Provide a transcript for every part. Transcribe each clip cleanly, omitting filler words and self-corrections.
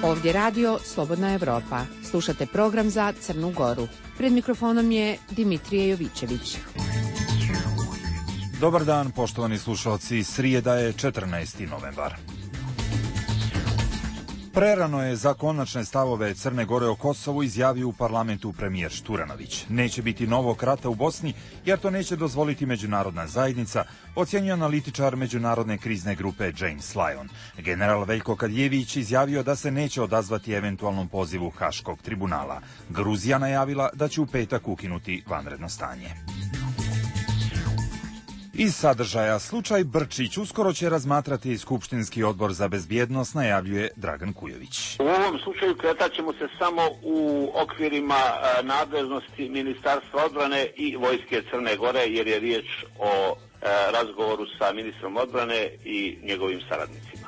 Ovdje radio Slobodna Evropa. Slušate program za Crnu Goru. Pred mikrofonom je Dimitrije Jovićević. Dobar dan, poštovani slušalci. Srijeda je 14. novembar. Prerano je za konačne stavove Crne Gore o Kosovu izjavio u parlamentu premijer Šturanović. Neće biti novog rata u Bosni, jer to neće dozvoliti međunarodna zajednica, ocjenjuje analitičar međunarodne krizne grupe James Lyon. General Veljko Kadijević izjavio da se neće odazvati eventualnom pozivu Haškog tribunala. Gruzija najavila da će u petak ukinuti vanredno stanje. Iz sadržaja, slučaj Brčić uskoro će razmatrati Skupštinski odbor za bezbjednost, najavljuje Dragan Kujović. U ovom slučaju kretat ćemo se samo u okvirima nadležnosti Ministarstva odbrane i Vojske Crne Gore, jer je riječ o razgovoru sa ministrom odbrane i njegovim saradnicima.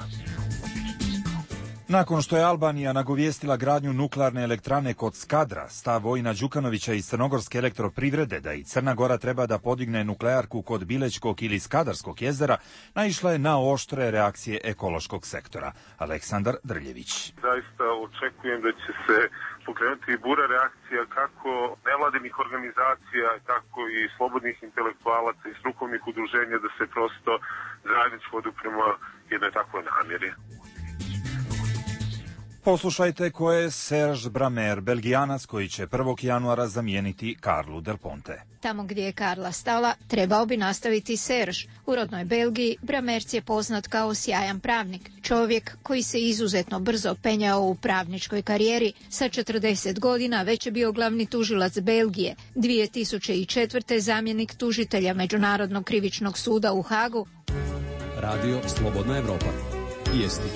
Nakon što je Albanija nagovijestila gradnju nuklearne elektrane kod Skadra, stav Vojina Đukanovića iz Crnogorske elektroprivrede da i Crna Gora treba da podigne nuklearku kod Bilećkog ili Skadarskog jezera, naišla je na oštre reakcije ekološkog sektora. Aleksandar Drljević. Zaista očekujem da će se pokrenuti bura reakcija kako nevladinih organizacija, tako i slobodnih intelektualaca i strukovnih udruženja da se prosto zajednički odupremo jednoj takvoj namjeri. Poslušajte ko je Serge Bramer, Belgijanac koji će 1. januara zamijeniti Carlu Del Ponte. Tamo gdje je Carla stala, trebao bi nastaviti Serge. U rodnoj Belgiji Bramerc je poznat kao sjajan pravnik. Čovjek koji se izuzetno brzo penjao u pravničkoj karijeri. Sa 40 godina već je bio glavni tužilac Belgije. 2004. zamjenik tužitelja Međunarodnog krivičnog suda u Hagu. Radio Slobodna Evropa. Vijesti.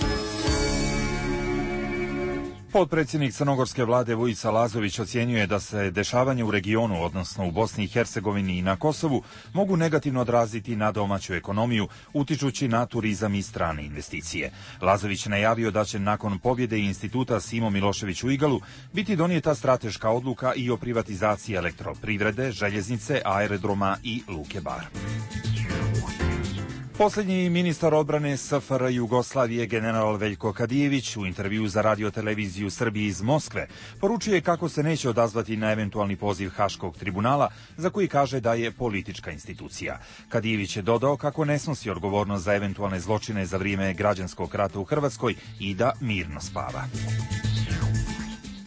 Potpredsjednik crnogorske vlade Vujica Lazović ocjenjuje da se dešavanje u regionu, odnosno u Bosni i Hercegovini i na Kosovu, mogu negativno odraziti na domaću ekonomiju, utičući na turizam i strane investicije. Lazović najavio da će nakon pobjede instituta Simo Milošević u Igalu biti donijeta strateška odluka i o privatizaciji elektroprivrede, željeznice, aerodroma i Luke Bar. Posljednji ministar odbrane SFRJ Jugoslavije general Veljko Kadijević u intervju za radioteleviziju Srbije iz Moskve poručuje kako se neće odazvati na eventualni poziv Haškog tribunala, za koji kaže da je politička institucija. Kadijević je dodao kako ne snosi odgovornost za eventualne zločine za vrijeme građanskog rata u Hrvatskoj i da mirno spava.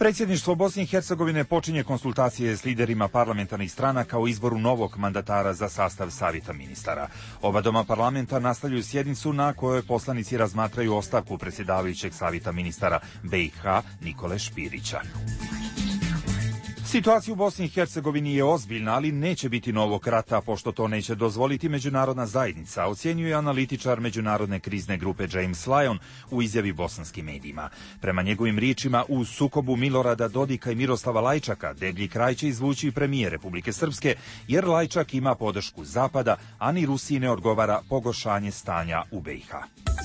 Predsjedništvo Bosne i Hercegovine počinje konsultacije s liderima parlamentarnih stranaka o izboru novog mandatara za sastav savjeta ministara. Oba doma parlamenta nastavljaju sjednicu na kojoj poslanici razmatraju ostavku predsjedavajućeg savjeta ministara BiH Nikole Špirića. Situacija u Bosni i Hercegovini je ozbiljna, ali neće biti novog rata, pošto to neće dozvoliti međunarodna zajednica, ocjenjuje analitičar međunarodne krizne grupe James Lyon u izjavi bosanskim medijima. Prema njegovim riječima, u sukobu Milorada Dodika i Miroslava Lajčaka deblji kraj će izvući premijer Republike Srpske, jer Lajčak ima podršku Zapada, a ni Rusiji ne odgovara pogoršanje stanja u BiH.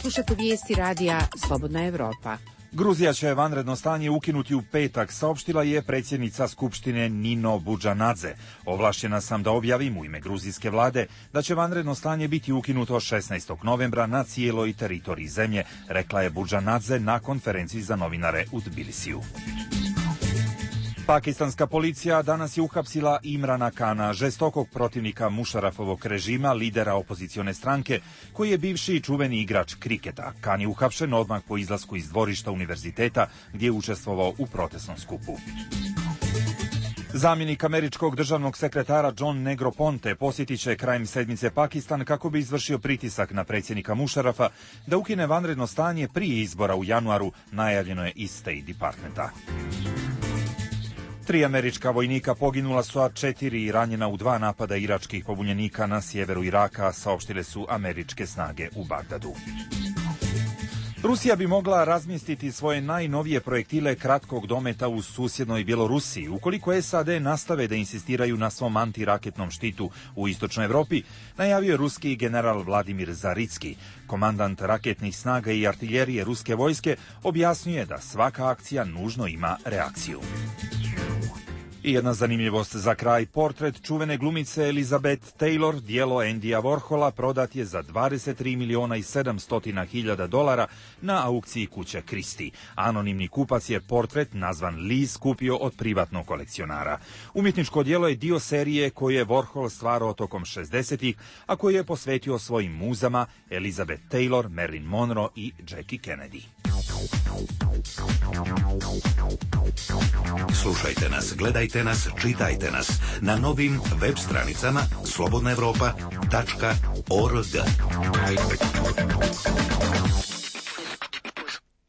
Slušate vijesti radija Slobodna Evropa. Gruzija će vanredno stanje ukinuti u petak, saopštila je predsjednica Skupštine Nino Budžanadze. Ovlašćena sam da objavim u ime gruzijske vlade da će vanredno stanje biti ukinuto 16. novembra na cijeloj teritoriji zemlje, rekla je Budžanadze na konferenciji za novinare u Tbilisiju. Pakistanska policija danas je uhapsila Imrana Kana, žestokog protivnika Mušarafovog režima, lidera opozicione stranke, koji je bivši i čuveni igrač kriketa. Kan je uhapšen odmah po izlasku iz dvorišta univerziteta gdje je učestvovao u protestnom skupu. Zamjenik američkog državnog sekretara John Negroponte posjetit će krajem sedmice Pakistan kako bi izvršio pritisak na predsjednika Mušarafa da ukine vanredno stanje prije izbora u januaru, najavljeno je iz State Departmenta. 3 američka vojnika poginula su, a 4 ranjena u 2 napada iračkih pobunjenika na sjeveru Iraka, saopštile su američke snage u Bagdadu. Rusija bi mogla razmjestiti svoje najnovije projektile kratkog dometa u susjednoj Bjelorusiji, ukoliko SAD nastave da insistiraju na svom antiraketnom štitu u istočnoj Evropi, najavio je ruski general Vladimir Zaricki. Komandant raketnih snaga i artiljerije ruske vojske objasnjuje da svaka akcija nužno ima reakciju. I jedna zanimljivost za kraj, portret čuvene glumice Elizabeth Taylor, djelo Andyja Warhola, prodat je za $23.700.000 na aukciji kuće Christie. Anonimni kupac je portret, nazvan Liz, kupio od privatnog kolekcionara. Umjetničko djelo je dio serije koju je Warhol stvarao tokom 60-ih, a koju je posvetio svojim muzama Elizabeth Taylor, Marilyn Monroe i Jackie Kennedy. Slušajte nas, gledajte nas, čitajte nas na novim web stranicama slobodnaevropa.org.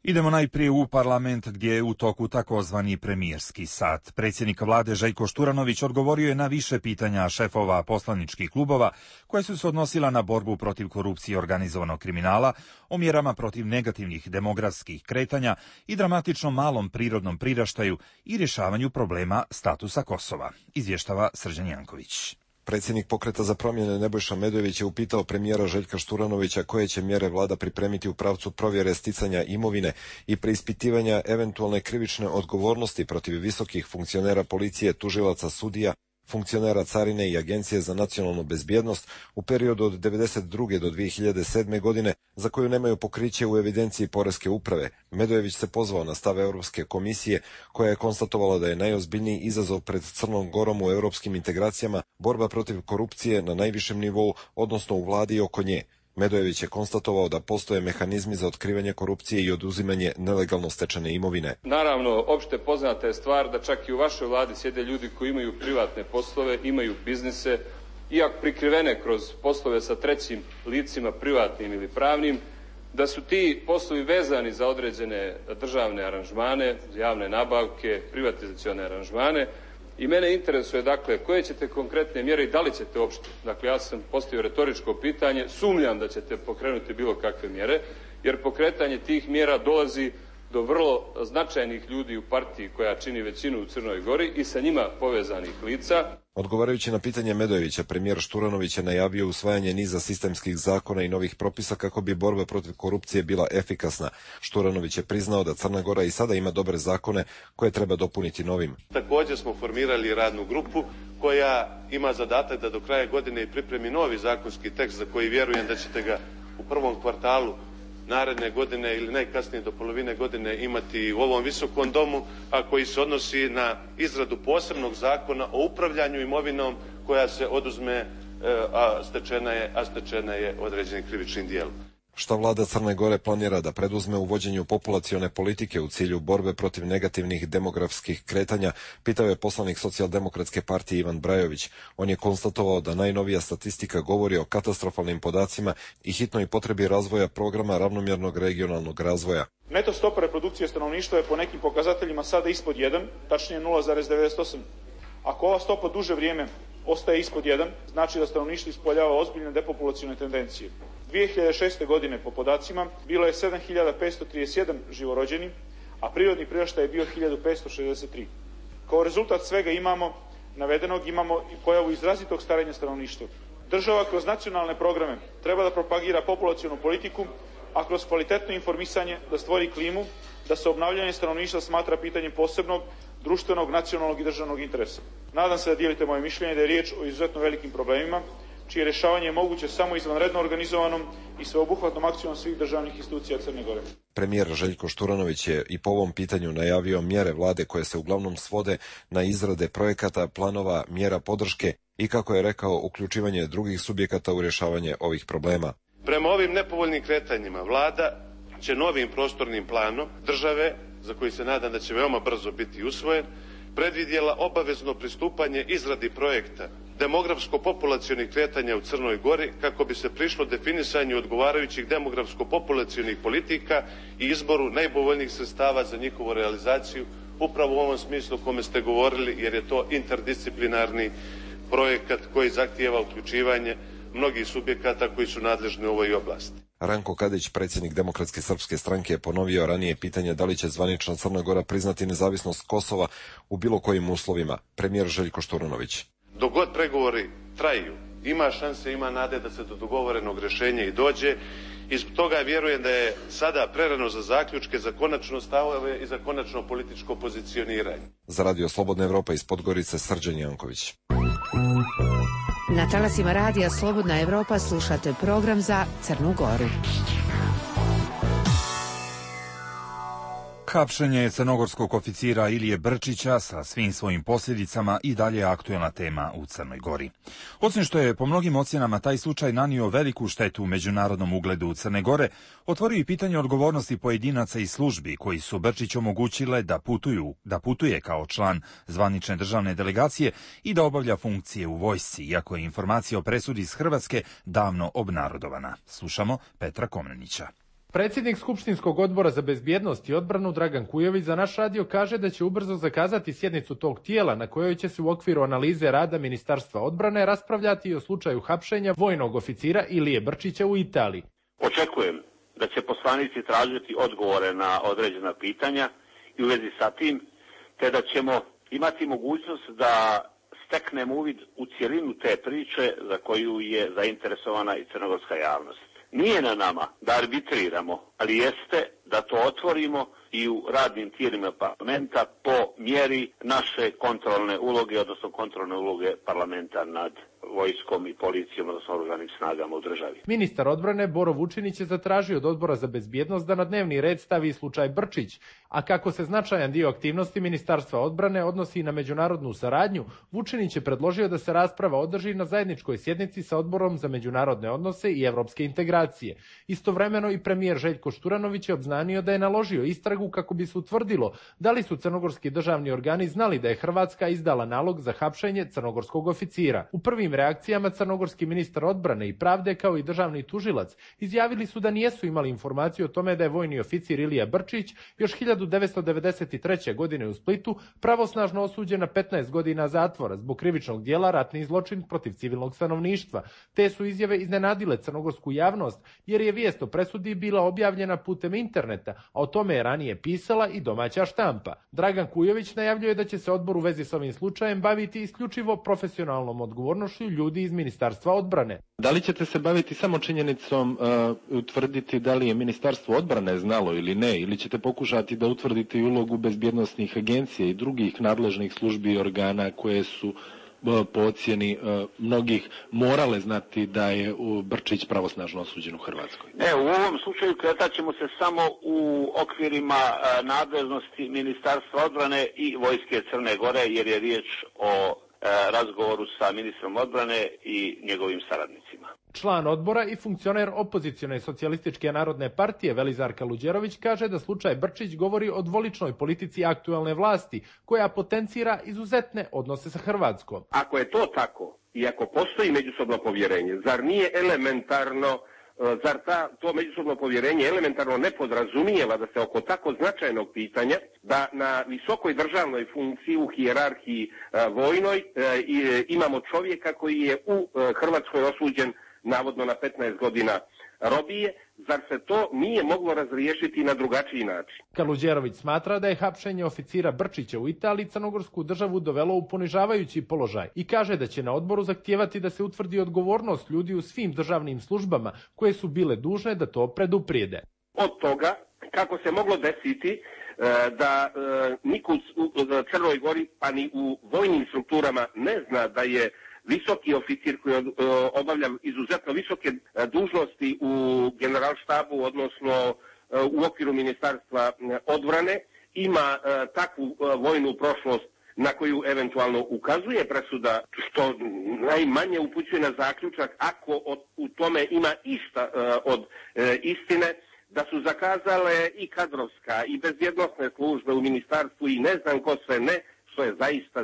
Idemo najprije u parlament gdje je u toku takozvani premijerski sat. Predsjednik vlade Željko Šturanović odgovorio je na više pitanja šefova poslaničkih klubova koje su se odnosila na borbu protiv korupcije i organizovanog kriminala, o mjerama protiv negativnih demografskih kretanja i dramatično malom prirodnom priraštaju i rješavanju problema statusa Kosova, izvještava Srđan Janković. Predsjednik Pokreta za promjene Nebojša Medojević je upitao premijera Željka Šturanovića koje će mjere vlada pripremiti u pravcu provjere sticanja imovine i preispitivanja eventualne krivične odgovornosti protiv visokih funkcionera policije, tužilaca, sudija, funkcionera carine i Agencije za nacionalnu bezbjednost u periodu od 1992. do 2007. godine za koju nemaju pokriće u evidenciji Poreske uprave. Medojević se pozvao na stav Europske komisije koja je konstatovala da je najozbiljniji izazov pred Crnom Gorom u europskim integracijama borba protiv korupcije na najvišem nivou, odnosno u vladi i oko nje. Medojević je konstatovao da postoje mehanizmi za otkrivanje korupcije i oduzimanje nelegalno stečene imovine. Naravno, opšte poznata je stvar da čak i u vašoj vladi sjede ljudi koji imaju privatne poslove, imaju biznise, iako prikrivene kroz poslove sa trećim licima, privatnim ili pravnim, da su ti poslovi vezani za određene državne aranžmane, javne nabavke, privatizacione aranžmane. I mene interesuje, dakle, koje ćete konkretne mjere i da li ćete uopšte, dakle, ja sam postavio retoričko pitanje, sumnjam da ćete pokrenuti bilo kakve mjere, jer pokretanje tih mjera dolazi do vrlo značajnih ljudi u partiji koja čini većinu u Crnoj Gori i sa njima povezanih lica. Odgovarajući na pitanje Medojevića, premijer Šturanović je najavio usvajanje niza sistemskih zakona i novih propisa kako bi borba protiv korupcije bila efikasna. Šturanović je priznao da Crna Gora i sada ima dobre zakone koje treba dopuniti novim. Također smo formirali radnu grupu koja ima zadatak da do kraja godine pripremi novi zakonski tekst za koji vjerujem da ćete ga u prvom kvartalu naredne godine ili najkasnije do polovine godine imati u ovom visokom domu, a koji se odnosi na izradu posebnog zakona o upravljanju imovinom koja se oduzme, a stečena je određenim krivičnim dijelom. Šta vlada Crne Gore planira da preduzme u vođenju populacione politike u cilju borbe protiv negativnih demografskih kretanja, pitao je poslanik Socijaldemokratske partije Ivan Brajović. On je konstatovao da najnovija statistika govori o katastrofalnim podacima i hitnoj potrebi razvoja programa ravnomjernog regionalnog razvoja. Neto stopa reprodukcije stanovništva je po nekim pokazateljima sada ispod 1, tačnije 0,98. Ako ova stopa duže vrijeme ostaje ispod 1, znači da stanovništvo ispoljava ozbiljne depopulacione tendencije. 2006. godine po podacima bilo je 7.531 živorođeni, a prirodni priraštaj je bio 1.563. Kao rezultat svega navedenog imamo i pojavu izrazitog starenja stanovništva. Država kroz nacionalne programe treba da propagira populacionu politiku, a kroz kvalitetno informisanje da stvori klimu da se obnavljanje stanovništva smatra pitanjem posebnog društvenog, nacionalnog i državnog interesa. Nadam se da dijelite moje mišljenje da je riječ o izuzetno velikim problemima, čije rješavanje je moguće samo izvanredno organizovanom i sveobuhvatnom akcijom svih državnih institucija Crne Gore. Premijer Željko Šturanović je i po ovom pitanju najavio mjere vlade koje se uglavnom svode na izrade projekata, planova, mjera podrške i, kako je rekao, uključivanje drugih subjekata u rješavanje ovih problema. Prema ovim nepovoljnim kretanjima vlada će novim prostornim planom države, za koji se nadam da će veoma brzo biti usvojen, predvidjela obavezno pristupanje izradi projekta demografsko-populacionih kretanja u Crnoj Gori kako bi se prišlo definisanju odgovarajućih demografsko-populacionih politika i izboru najpovoljnijih sredstava za njihovu realizaciju, upravo u ovom smislu o kome ste govorili, jer je to interdisciplinarni projekat koji zahtijeva uključivanje mnogih subjekata koji su nadležni u ovoj oblasti. Ranko Kadić, predsjednik Demokratske srpske stranke, je ponovio ranije pitanje da li će zvanična Crna Gora priznati nezavisnost Kosova u bilo kojim uslovima. Premijer Željko Šturanović. Dok god pregovori traju, ima šanse, ima nade da se do dogovorenog rješenja i dođe. I zbog toga vjerujem da je sada prerano za zaključke, za konačno stavove i za konačno političko pozicioniranje. Za Radio Slobodna Evropa iz Podgorice, Srđan Janković. Na talasima Radija Slobodna Evropa slušate program za Crnu Goru. Hapšenje crnogorskog oficira Ilije Brčića sa svim svojim posljedicama i dalje aktuelna tema u Crnoj Gori. Osim što je po mnogim ocjenama taj slučaj nanio veliku štetu u međunarodnom ugledu Crne Gore, otvorio i pitanje odgovornosti pojedinaca i službi koji su Brčić omogućile da putuje kao član zvanične državne delegacije i da obavlja funkcije u vojsci, iako je informacija o presudi iz Hrvatske davno obnarodovana. Slušamo Petra Komnenića. Predsjednik Skupštinskog odbora za bezbjednost i odbranu Dragan Kujović za naš radio kaže da će ubrzo zakazati sjednicu tog tijela na kojoj će se u okviru analize rada Ministarstva odbrane raspravljati i o slučaju hapšenja vojnog oficira Ilije Brčića u Italiji. Očekujem da će poslanici tražiti odgovore na određena pitanja i u vezi sa tim, te da ćemo imati mogućnost da steknemo uvid u cjelinu te priče za koju je zainteresovana i crnogorska javnost. Nije na nama da arbitriramo, ali jeste da to otvorimo i u radnim tijelima parlamenta po mjeri naše kontrolne uloge, odnosno kontrolne uloge parlamenta nad vojskom i policijom, odnosno oružanim snagama u državi. Ministar odbrane Boro Vučinić je zatražio od Odbora za bezbjednost da na dnevni red stavi slučaj Brčić, a kako se značajan dio aktivnosti Ministarstva odbrane odnosi na međunarodnu saradnju, Vučinić je predložio da se rasprava održi na zajedničkoj sjednici sa Odborom za međunarodne odnose i evropske integracije. Istovremeno i premijer Željko Šturanović je obznanio da je naložio istragu kako bi se utvrdilo da li su crnogorski državni organi znali da je Hrvatska izdala nalog za hapšenje crnogorskog oficira. U prvim reakcijama crnogorski ministar odbrane i pravde kao i državni tužilac izjavili su da nijesu imali informaciju o tome da je vojni oficir Ilija Brčić još 1993. godine u Splitu pravosnažno osuđen na 15 godina zatvora zbog krivičnog djela ratni zločin protiv civilnog stanovništva. Te su izjave iznenadile crnogorsku javnost jer je vijest o presudi bila objavljena putem interneta, a o tome je ranije pisala i domaća štampa. Dragan Kujović najavljuje da će se odbor u vezi s ovim slučajem baviti isključivo profesionalnom odgovornošću ljudi iz Ministarstva odbrane. Da li ćete se baviti samo činjenicom utvrditi da li je Ministarstvo odbrane znalo ili ne, ili ćete pokušati da utvrdite i ulogu bezbjednosnih agencija i drugih nadležnih službi i organa koje su po ocjeni mnogih morale znati da je Brčić pravosnažno osuđen u Hrvatskoj? U ovom slučaju kretat ćemo se samo u okvirima nadležnosti Ministarstva odbrane i Vojske Crne Gore, jer je riječ o razgovoru sa ministrom odbrane i njegovim saradnicima. Član odbora i funkcioner opozicione socijalističke narodne partije Velizar Kaluđerović kaže da slučaj Brčić govori o dvoličnoj politici aktuelne vlasti koja potencira izuzetne odnose sa Hrvatskom. Ako je to tako i ako postoji međusobno povjerenje, zar nije elementarno, zar to međusobno povjerenje elementarno ne podrazumijeva da se oko tako značajnog pitanja, da na visokoj državnoj funkciji u hijerarhiji vojnoj imamo čovjeka koji je u Hrvatskoj osuđen navodno na 15 godina robije, zar se to nije moglo razriješiti na drugačiji način? Kaluđerović smatra da je hapšenje oficira Brčića u Italiji crnogorsku državu dovelo u ponižavajući položaj i kaže da će na odboru zahtijevati da se utvrdi odgovornost ljudi u svim državnim službama koje su bile dužne da to preduprijede. Od toga kako se moglo desiti da niko u Crnoj Gori pa ni u vojnim strukturama ne zna da je visoki oficir koji obavlja izuzetno visoke dužnosti u generalštabu, odnosno u okviru Ministarstva odbrane, ima takvu vojnu prošlost na koju eventualno ukazuje presuda, što najmanje upućuje na zaključak, ako u tome ima išta od istine, da su zakazale i kadrovska i bezbjednosne službe u ministarstvu i ne znam ko sve ne, što je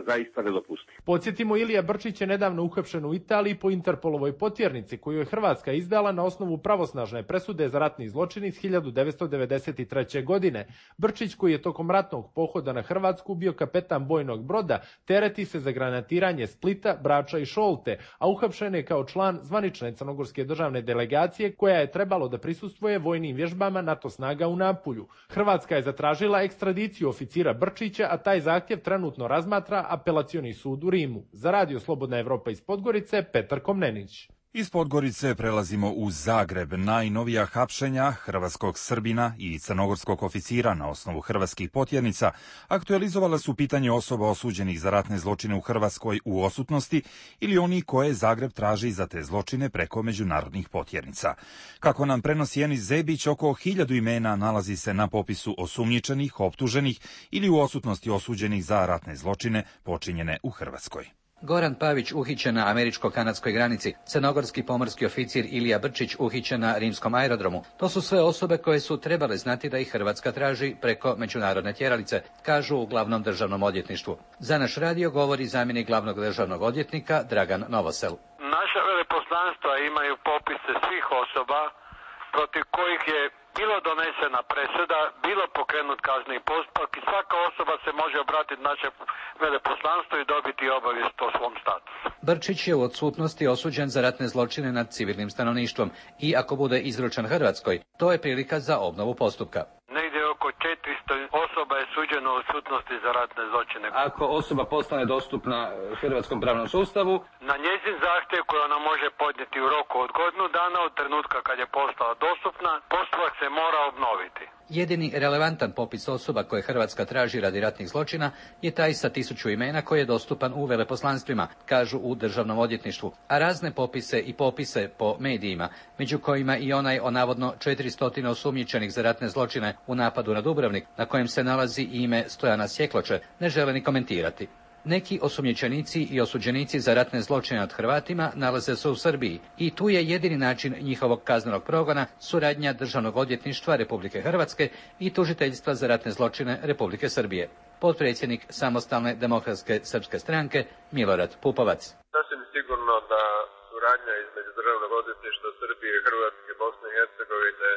zaista nedopustivo. Podsjetimo, Ilija Brčić je nedavno uhapšen u Italiji po Interpolovoj potjernici koju je Hrvatska izdala na osnovu pravosnažne presude za ratni zločin iz 1993. godine. Brčić, koji je tokom ratnog pohoda na Hrvatsku bio kapetan bojnog broda, tereti se za granatiranje Splita, Brača i Šolte, a uhapšen je kao član zvanične crnogorske državne delegacije koja je trebalo da prisustvuje vojnim vježbama NATO snaga u Napulju. Hrvatska je zatražila ekstradiciju oficira Brčića, a taj zahtjev trenutno razmatra Apelacioni sud u Rimu. Za Radio Slobodna Evropa iz Podgorice, Petar Komnenić. Iz Podgorice prelazimo u Zagreb. Najnovija hapšenja hrvatskog Srbina i crnogorskog oficira na osnovu hrvatskih potjernica aktualizovala su pitanje osoba osuđenih za ratne zločine u Hrvatskoj u odsutnosti ili oni koje Zagreb traži za te zločine preko međunarodnih potjernica. Kako nam prenosi Enis Zebić, oko 1000 imena nalazi se na popisu osumnjičenih, optuženih ili u odsutnosti osuđenih za ratne zločine počinjene u Hrvatskoj. Goran Pavić uhićen na američko-kanadskoj granici, crnogorski pomorski oficir Ilija Brčić uhićen na rimskom aerodromu. To su sve osobe koje su trebale znati da ih Hrvatska traži preko međunarodne tjeralice, kažu u glavnom državnom odvjetništvu. Za naš radio govori zamjenik glavnog državnog odvjetnika Dragan Novosel. Naša veleposlanstva imaju popise svih osoba protiv kojih je bilo donesena presuda, bilo pokrenut kazneni postupak i svaka osoba se može obratiti našem veleposlanstvu i dobiti obavijest o svom statusu. Brčić je u odsutnosti osuđen za ratne zločine nad civilnim stanovništvom i ako bude izručen Hrvatskoj, to je prilika za obnovu postupka. Negdje oko 400 osoba je suđeno u odsutnosti za ratne zločine. Ako osoba postane dostupna hrvatskom pravnom sustavu, na njezin zahtjev koji ona može podnijeti u roku od godinu dana od trenutka kad je postala dostupna, postupak se mora obnoviti. Jedini relevantan popis osoba koje Hrvatska traži radi ratnih zločina je taj sa 1000 imena koji je dostupan u veleposlanstvima, kažu u državnom odvjetništvu, a razne popise i popise po medijima, među kojima i onaj o navodno 400 osumnjičenih za ratne zločine u napadu na Dubrovnik, na kojem se nalazi ime Stojana Sjekloče, ne žele ni komentirati. Neki osumnjičenici i osuđenici za ratne zločine nad Hrvatima nalaze se u Srbiji i tu je jedini način njihovog kaznenog progona suradnja Državnog odvjetništva Republike Hrvatske i Tužiteljstva za ratne zločine Republike Srbije. Potpredsjednik Samostalne demokratske srpske stranke Milorad Pupovac. Sasvim sigurno da suradnja između Državnog odvjetništva Srbije, Hrvatske, Bosne i Hercegovine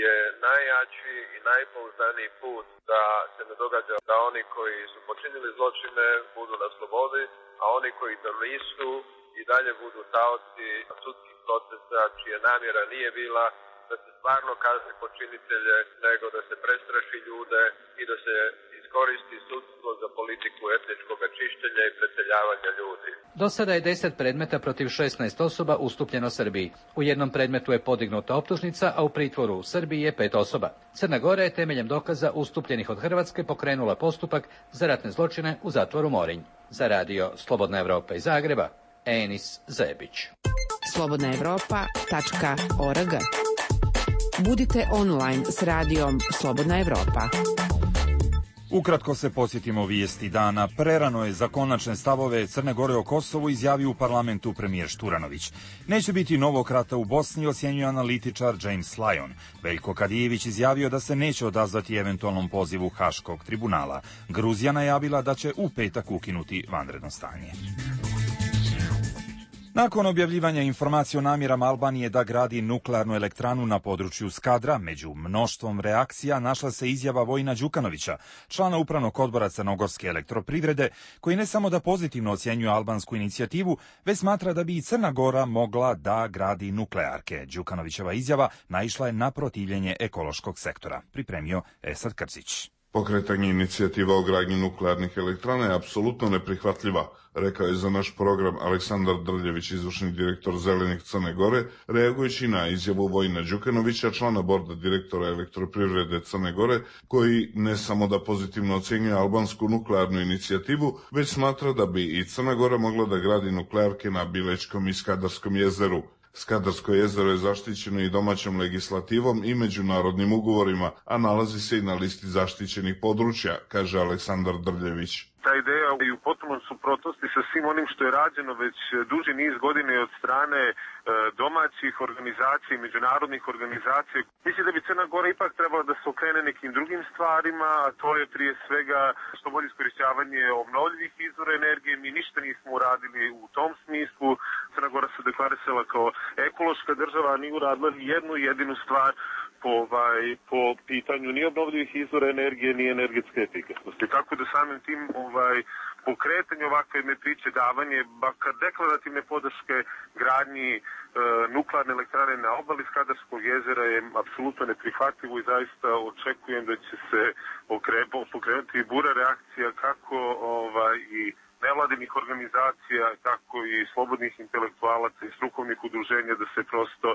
je najjači i najpouzdaniji put da se ne događa da oni koji su počinili zločine budu na slobodi, a oni koji to nisu i dalje budu taoci sudskih procesa čija namjera nije bila da se stvarno kazni počinitelje, nego da se prestraši ljude i da se iskoristi sudstvo za politiku etničkog čišćenja i preseljavanja ljudi. Do sada je 10 predmeta protiv 16 osoba ustupljeno Srbiji. U jednom predmetu je podignuta optužnica, a u pritvoru u Srbiji je 5 osoba. Crna Gora je temeljem dokaza ustupljenih od Hrvatske pokrenula postupak za ratne zločine u zatvoru Morinj. Za Radio Slobodna Evropa iz Zagreba, Enis Zebić. slobodnaevropa.org. Budite online s radijom Slobodna Evropa. Ukratko se podsjetimo vijesti dana. Prerano je za konačne stavove Crne Gore o Kosovu izjavio u parlamentu premijer Šturanović. Neće biti novog rata u Bosni, ocjenjuje analitičar James Lyon. Veljko Kadijević izjavio da se neće odazvati eventualnom pozivu Haškog tribunala. Gruzija najavila da će u petak ukinuti vanredno stanje. Nakon objavljivanja informacije o namjerama Albanije da gradi nuklearnu elektranu na području Skadra, među mnoštvom reakcija našla se izjava Vojina Đukanovića, člana upravnog odbora Crnogorske elektroprivrede, koji ne samo da pozitivno ocjenjuje albansku inicijativu, već smatra da bi i Crna Gora mogla da gradi nuklearke. Đukanovićeva izjava naišla je na protivljenje ekološkog sektora. Pripremio Esad Krzić. Pokretanje inicijativa o gradnji nuklearnih elektrana je apsolutno neprihvatljiva, rekao je za naš program Aleksandar Drljević, izvršni direktor Zelenih Crne Gore, reagujući na izjavu Vojina Đukanovića, člana borda direktora elektroprivrede Crne Gore, koji ne samo da pozitivno ocjenjuje albansku nuklearnu inicijativu, već smatra da bi i Crna Gora mogla da gradi nuklearke na Bilečkom i Skadarskom jezeru. Skadarsko jezero je zaštićeno i domaćom legislativom i međunarodnim ugovorima, a nalazi se i na listi zaštićenih područja, kaže Aleksandar Drljević. Ta ideja je u potpunom suprotnosti sa svim onim što je rađeno već duži niz godina od strane domaćih organizacija i međunarodnih organizacija. Mislim da bi Crna Gora ipak trebala da se okrene nekim drugim stvarima, a to je prije svega što bolje iskorišćavanje obnovljivih izvora energije. Mi ništa nismo uradili u tom smislu. Crna Gora se deklarisala kao ekološka država, a nije uradila ni jednu jedinu stvar po pitanju ni obnovljivih izvora energije, ni energetske efikasnosti. Tako da samim tim pokretanje ovakve jedne priče, davanje bakar deklarativne podrške gradnji nuklearne elektrane na obali Skadarskog jezera je apsolutno neprihvatljivo i zaista očekujem da će se pokrenuti bura reakcija kako i nevladinih organizacija, tako i slobodnih intelektualaca i strukovnih udruženja da se prosto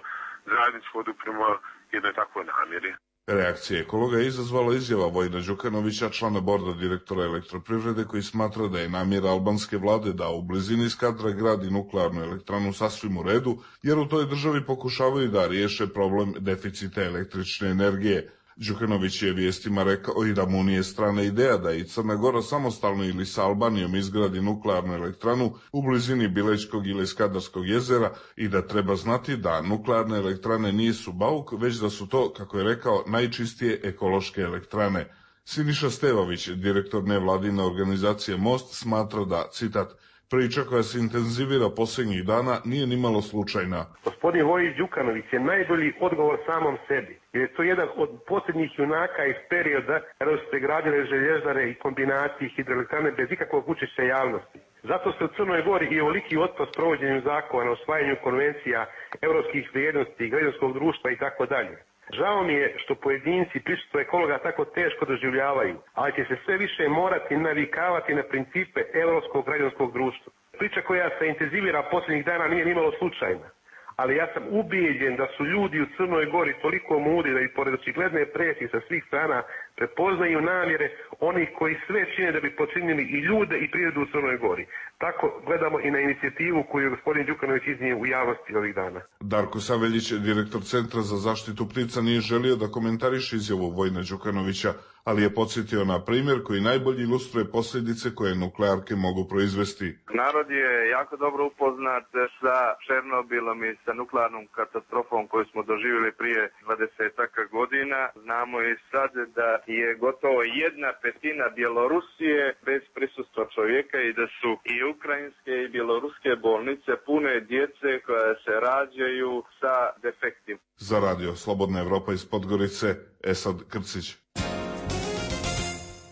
zajednički odupremo jednoj takvoj namjeri. Reakcija ekologa je izazvala izjava Vojina Đukanovića, člana borda direktora Elektroprivrede, koji smatra da je namjera albanske vlade da u blizini Skadra gradi nuklearnu elektranu sasvim u redu, jer u toj državi pokušavaju da riješe problem deficita električne energije. Đukanović je vijestima rekao i da mu nije strana ideja da i Crna Gora samostalno ili sa Albanijom izgradi nuklearnu elektranu u blizini Bilećkog ili Skadarskog jezera i da treba znati da nuklearne elektrane nisu bauk, već da su to, kako je rekao, najčistije ekološke elektrane. Siniša Stevović, direktor nevladine organizacije Most, smatra da, citat, priča koja se intenzivira posljednjih dana nije nimalo slučajna. Gospodin Vojin Đukanović je najbolji odgovor samom sebi, jer je to jedan od posljednjih junaka iz perioda kada su se gradile željezare i kombinacije hidroelektrane bez ikakvog učešća javnosti. Zato se u Crnoj Gori i ovoliki otpor s provođenjem zakona, osvajanju konvencija, europskih vrijednosti, građanskog društva i tako dalje. Žao mi je što pojedinci prisustvo ekologa tako teško doživljavaju, ali će se sve više morati navikavati na principe europskog građanskog društva. Priča koja se intenzivira posljednjih dana nije nimalo slučajna, ali ja sam ubijeđen da su ljudi u Crnoj Gori toliko mudri da i pored očigledne presije sa svih strana prepoznaju namjere onih koji sve čine da bi počinili i ljude i prirodu u Crnoj Gori. Tako gledamo i na inicijativu koju je gospodin Đukanović iznio u javnosti ovih dana. Darko Saveljić, direktor Centra za zaštitu ptica, nije želio da komentariše izjavu Vojina Đukanovića, ali je podsjetio na primjer koji najbolje ilustruje posljedice koje nuklearke mogu proizvesti. Narod je jako dobro upoznat sa Černobilom i sa nuklearnom katastrofom koju smo doživjeli prije 20 godina. Znamo i sad da je gotovo 1/5 Bjelorusije bez prisustva čovjeka i da su i ukrajinske i bjeloruske bolnice pune djece koja se rađaju sa defektima. Za radio Slobodna Evropa iz Podgorice, Esad Krcić.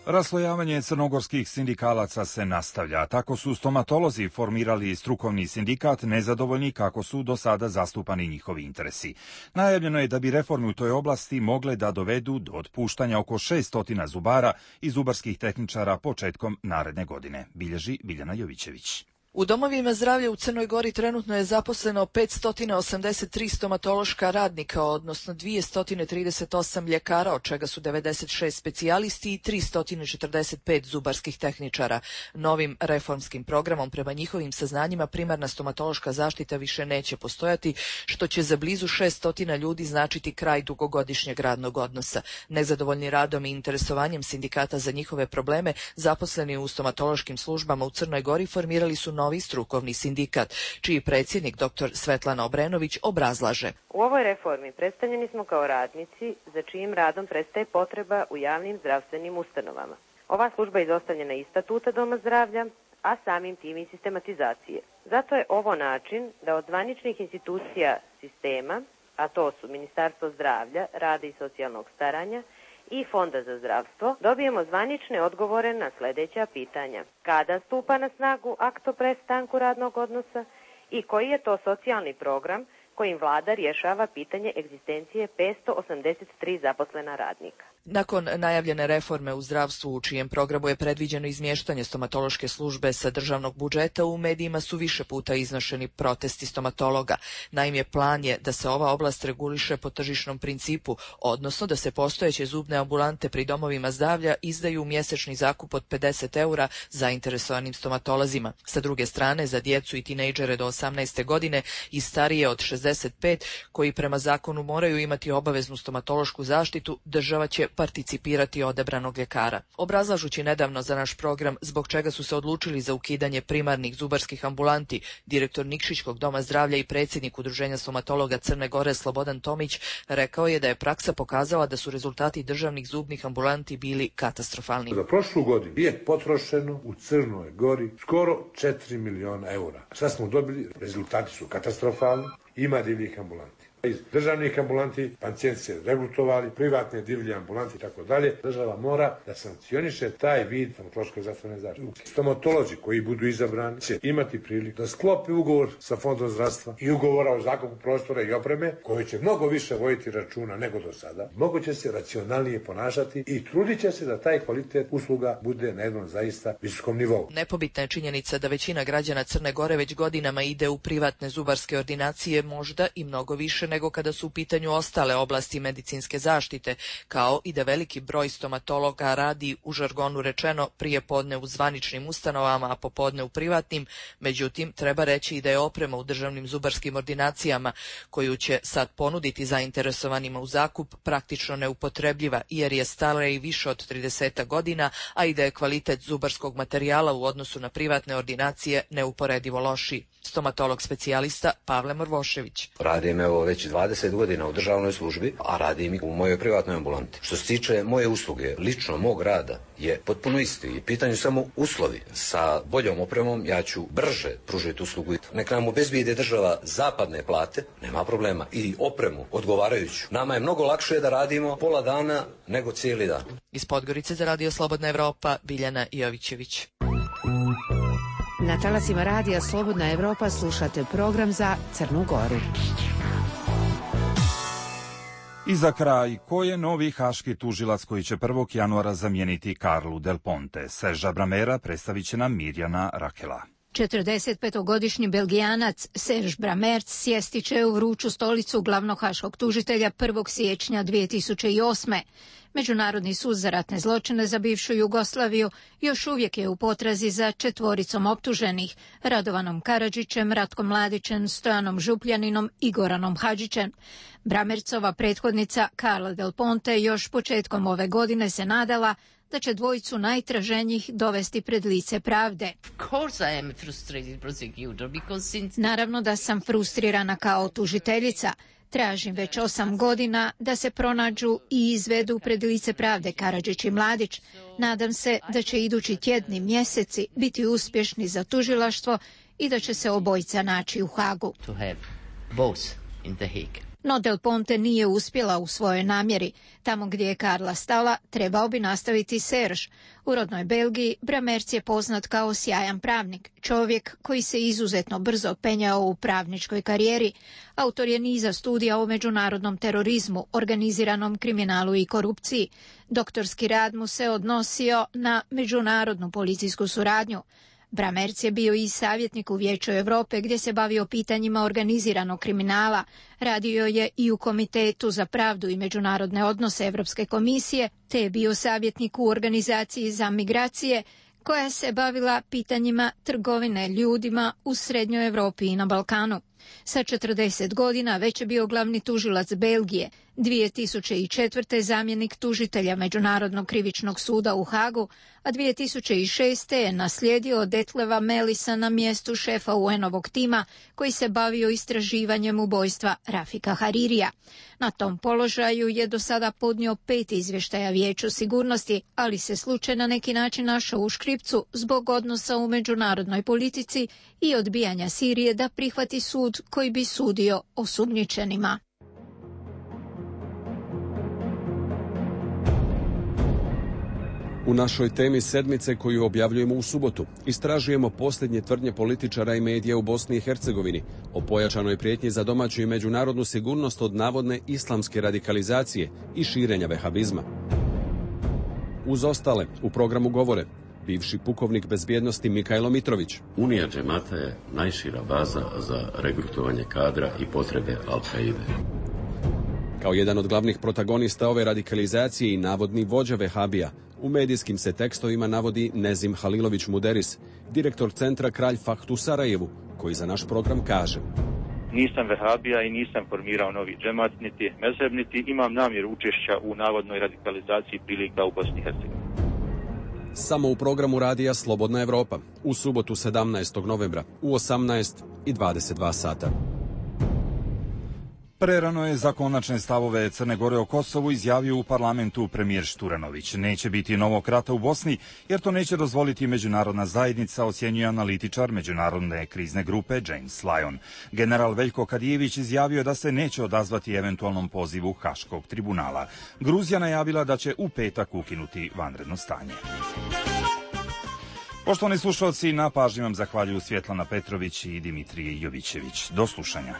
Raslojavanje crnogorskih sindikalaca se nastavlja. Tako su stomatolozi formirali strukovni sindikat nezadovoljni kako su do sada zastupani njihovi interesi. Najavljeno je da bi reforme u toj oblasti mogle da dovedu do otpuštanja oko 600 zubara i zubarskih tehničara početkom naredne godine, bilježi Biljana Jovićević. U domovima zdravlja u Crnoj Gori trenutno je zaposleno 583 stomatološka radnika, odnosno 238 ljekara, od čega su 96 specijalisti i 345 zubarskih tehničara. Novim reformskim programom, prema njihovim saznanjima, primarna stomatološka zaštita više neće postojati, što će za blizu 600 ljudi značiti kraj dugogodišnjeg radnog odnosa. Nezadovoljni radom i interesovanjem sindikata za njihove probleme, zaposleni u stomatološkim službama u Crnoj Gori formirali su novi strukovni sindikat, čiji predsjednik dr. Svetlana Obrenović obrazlaže. U ovoj reformi predstavljeni smo kao radnici za čijim radom prestaje potreba u javnim zdravstvenim ustanovama. Ova služba je izostavljena iz statuta Doma zdravlja, a samim tim i sistematizacije. Zato je ovo način da od zvaničnih institucija sistema, a to su Ministarstvo zdravlja, rada i socijalnog staranja i Fonda za zdravstvo, dobijemo zvanične odgovore na sljedeća pitanja. Kada stupa na snagu akt o prestanku radnog odnosa i koji je to socijalni program kojim vlada rješava pitanje egzistencije 583 zaposlena radnika. Nakon najavljene reforme u zdravstvu, u čijem programu je predviđeno izmještanje stomatološke službe sa državnog budžeta, u medijima su više puta iznošeni protesti stomatologa. Naime, plan je da se ova oblast reguliše po tržišnom principu, odnosno da se postojeće zubne ambulante pri domovima zdravlja izdaju mjesečni zakup od 50 eura zainteresovanim stomatolozima. Sa druge strane, za djecu i tinejdžere do 18. godine i starije od 60 65 koji prema zakonu moraju imati obaveznu stomatološku zaštitu, država će participirati odabranog ljekara. Obrazlažući nedavno za naš program zbog čega su se odlučili za ukidanje primarnih zubarskih ambulanti, direktor Nikšićkog doma zdravlja i predsjednik Udruženja stomatologa Crne Gore Slobodan Tomić rekao je da je praksa pokazala da su rezultati državnih zubnih ambulanti bili katastrofalni. Za prošlu godinu je potrošeno u Crnoj Gori skoro 4 miliona eura. Šta smo dobili? Rezultati su katastrofalni, ima divljih ambulanti. Iz državnih ambulanti pacijenti se regrutovali, privatne divlje ambulanti i tako dalje. Država mora da sankcioniše taj vid stomatološke zdravstvene zaštite. Stomatolozi koji budu izabrani će imati priliku da sklopi ugovor sa Fondom zdravstva i ugovora o zakupu prostora i opreme koji će mnogo više voditi računa nego do sada. Mnogo će se racionalnije ponašati i trudit će se da taj kvalitet usluga bude na jednom zaista visokom nivou. Nepobitna je činjenica da većina građana Crne Gore već godinama ide u privatne zubarske ordinacije, možda i mnogo više nego kada su u pitanju ostale oblasti medicinske zaštite, kao i da veliki broj stomatologa radi, u žargonu rečeno, prije podne u zvaničnim ustanovama, a popodne u privatnim. Međutim, treba reći i da je oprema u državnim zubarskim ordinacijama, koju će sad ponuditi zainteresovanima u zakup, praktično neupotrebljiva, jer je stara i više od 30 godina, a i da je kvalitet zubarskog materijala u odnosu na privatne ordinacije neuporedivo loši. Stomatolog specijalista Pavle Morvošević. Radim evo već 20 godina u državnoj službi, a radim i u mojoj privatnoj ambulanti. Što se tiče moje usluge, lično mog rada je potpuno isti. I pitanju samo uslovi. Sa boljom opremom ja ću brže pružiti uslugu. Nek nam obezbijede država zapadne plate, nema problema, i opremu odgovarajuću. Nama je mnogo lakše da radimo pola dana nego cijeli dan. Iz Podgorice za Radio Slobodna Evropa, Biljana Jovićević. Na talasima Radija Slobodna Evropa slušate program za Crnu Goru. I za kraj, ko je novi haški tužilac koji će 1. januara zamijeniti Karlu Del Ponte? Sergea Bramera predstavit će nam Mirjana Rakela. 45-godišnji Belgijanac Serge Bramert sjesti će u vruću stolicu glavnog haškog tužitelja 1. siječnja 2008. Međunarodni sud za ratne zločine za bivšu Jugoslaviju još uvijek je u potrazi za 4 optuženih: Radovanom Karadžićem, Ratkom Mladićem, Stojanom Župljaninom i Goranom Hadžićem. Bramercova prethodnica Carla Del Ponte još početkom ove godine se nadala da će dvojicu najtraženijih dovesti pred lice pravde. Naravno da sam frustrirana kao tužiteljica. Tražim već 8 godina da se pronađu i izvedu pred lice pravde Karadžić i Mladić. Nadam se da će idući tjedni, mjeseci biti uspješni za tužilaštvo i da će se obojica naći u Hagu. No Del Ponte nije uspjela u svojoj namjeri. Tamo gdje je Karla stala, trebao bi nastaviti Serge. U rodnoj Belgiji Bramerc je poznat kao sjajan pravnik, čovjek koji se izuzetno brzo penjao u pravničkoj karijeri. Autor je niza studija o međunarodnom terorizmu, organiziranom kriminalu i korupciji. Doktorski rad mu se odnosio na međunarodnu policijsku suradnju. Bramerc je bio i savjetnik u Vijeću Europe gdje se bavio pitanjima organiziranog kriminala. Radio je i u Komitetu za pravdu i međunarodne odnose Europske komisije, te je bio savjetnik u organizaciji za migracije koja se bavila pitanjima trgovine ljudima u Srednjoj Europi i na Balkanu. Sa 40 godina već je bio glavni tužilac Belgije, 2004. zamjenik tužitelja Međunarodnog krivičnog suda u Hagu, a 2006. je naslijedio Detleva Melisa na mjestu šefa UN-ovog tima koji se bavio istraživanjem ubojstva Rafika Haririja. Na tom položaju je do sada podnio 5 izvještaja Vijeću sigurnosti, ali se slučaj na neki način našao u škripcu zbog odnosa u međunarodnoj politici i odbijanja Sirije da prihvati sud koji bi sudio osumnjičenima. U našoj temi sedmice koju objavljujemo u subotu istražujemo posljednje tvrdnje političara i medija u Bosni i Hercegovini o pojačanoj prijetnji za domaću i međunarodnu sigurnost od navodne islamske radikalizacije i širenja vehabizma. Uz ostale u programu govore bivši pukovnik bezbjednosti Mikajlo Mitrović. Unija džemata je najšira baza za regrutovanje kadra i potrebe Al-Kaide. Kao jedan od glavnih protagonista ove radikalizacije i navodni vođa vehabija, u medijskim se tekstovima navodi Nezim Halilović Muderis, direktor centra Kralj Fahd u Sarajevu, koji za naš program kaže: nisam vehabija i nisam formirao novi džemat, niti mezheb, niti imam namjeru učešća u navodnoj radikalizaciji prilika u Bosni i Hercegovini. Samo u programu radija Slobodna Evropa, u subotu 17. novembra u 18:22 sata. Prerano je za konačne stavove Crne Gore o Kosovu izjavio u parlamentu premijer Šturanović. Neće biti novog rata u Bosni, jer to neće dozvoliti međunarodna zajednica, ocjenjuje analitičar međunarodne krizne grupe James Lyon. General Veljko Kadijević izjavio da se neće odazvati eventualnom pozivu Haškog tribunala. Gruzija najavila da će u petak ukinuti vanredno stanje. Poštovani slušalci, na pažnji vam zahvaljuju Svjetlana Petrović i Dimitrije Jovićević. Do slušanja.